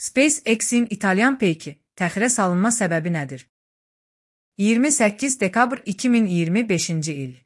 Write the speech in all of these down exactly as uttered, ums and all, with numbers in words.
SpaceX-in İtalyan peyki təxirə salınma səbəbi nədir? iyirmi səkkiz dekabr iki min iyirmi beşinci il.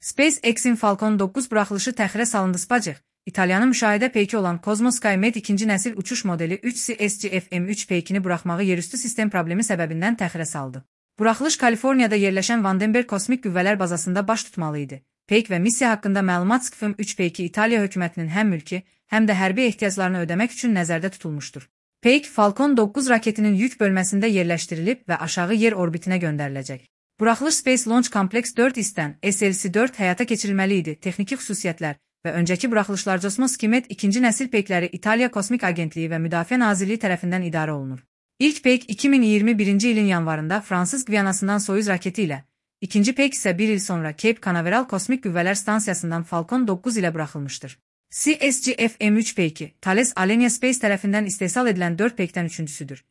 SpaceX-in Falcon doqquz buraxılışı təxirə salındı. SpaceX, İtalyanın müşahidə peyki olan Cosmos SkyMed ikinci nəsil uçuş modeli üç C S G F M üç peykini buraxmağı yerüstü sistem problemi səbəbindən təxirə saldı. Buraxılış Kaliforniyada yerləşən Vandenberg Kosmik Qüvvələr bazasında baş tutmalı idi. Peyk və missiya haqqında məlumat S K F M üç peyki İtaliya hökumətinin həm mülki, həm də hərbi ehtiyaclarını ödəmək üçün nəzərdə tutulmuşdur. Peyk, Falcon doqquz raketinin yük bölməsində yerləşdirilib və aşağı yer orbitinə göndəriləcək. Buraxılış Space Launch Complex dörd İS'dən S L C dörd həyata keçirilməli idi. Texniki xüsusiyyətlər və öncəki buraxılışlar Cosmos SkyMed ikinci nəsil peykləri İtaliya Kosmik Agentliyi və Müdafiə Nazirliyi tərəfindən idarə olunur. İlk peyk iki min iyirmi birinci ilin yanvarında Fransız Qvianasından Soyuz raketi ilə, ikinci peyk isə bir il sonra Cape Canaveral Kosmik Qüvvələr Stansiyasından Falcon doqquz ilə buraxılmışdır. C S G F M üç peyki, Thales Alenia Space tərəfindən istehsal edilən dörd peykdən üçüncüsüdür.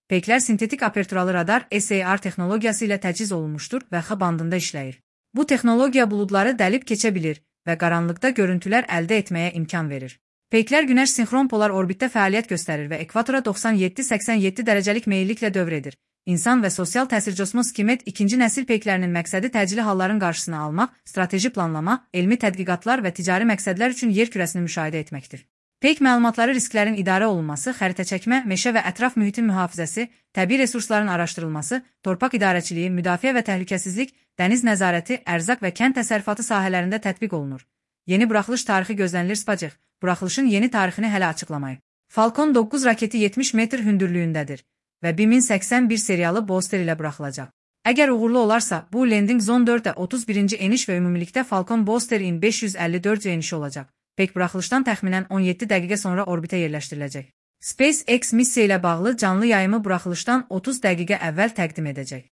Peyklər sintetik aperturalı radar S A R texnologiyası ilə təchiz olunmuşdur və X bandında işləyir. Bu texnologiya buludları dəlib keçə bilir və qaranlıqda görüntülər əldə etməyə imkan verir. Peyklər günəş sinxron polar orbitdə fəaliyyət göstərir və ekvatora doxsan yeddi səksən yeddi dərəcəlik meyilliklə dövr edir. İnsan və sosial təsir Cosmos SkyMed ikinci nəsil peyklərinin məqsədi təcili halların qarşısını almaq, strateji planlama, elmi tədqiqatlar və ticari məqsədlər üçün yer kürəsini müşahidə etməkdir. Peyk məlumatları risklərin idarə olunması, xəritə çəkmə, meşə və ətraf mühitin mühafizəsi, təbii resursların araşdırılması, torpaq idarəçiliyi, müdafiə və təhlükəsizlik, dəniz nəzarəti, ərzaq və kənd təsərrüfatı sahələrində tətbiq olunur. Yeni buraxılış tarixi gözlənilir. SpaceX, buraxılışın yeni tarixini hələ açıqlamayıb. Falcon doqquz raketi yetmiş metr hündürlüyündədir və bir min səksən bir seriyalı booster ilə buraxılacaq. Əgər uğurlu olarsa, bu Landing Zone dörddə otuz birinci eniş və ümumilikdə Falcon Booster-in beş yüz əlli dörd enişi olacaq. Peyk buraxılışdan təxminən on yeddi dəqiqə sonra orbitə yerləşdiriləcək. SpaceX missiya ilə bağlı canlı yayımı buraxılışdan otuz dəqiqə əvvəl təqdim edəcək.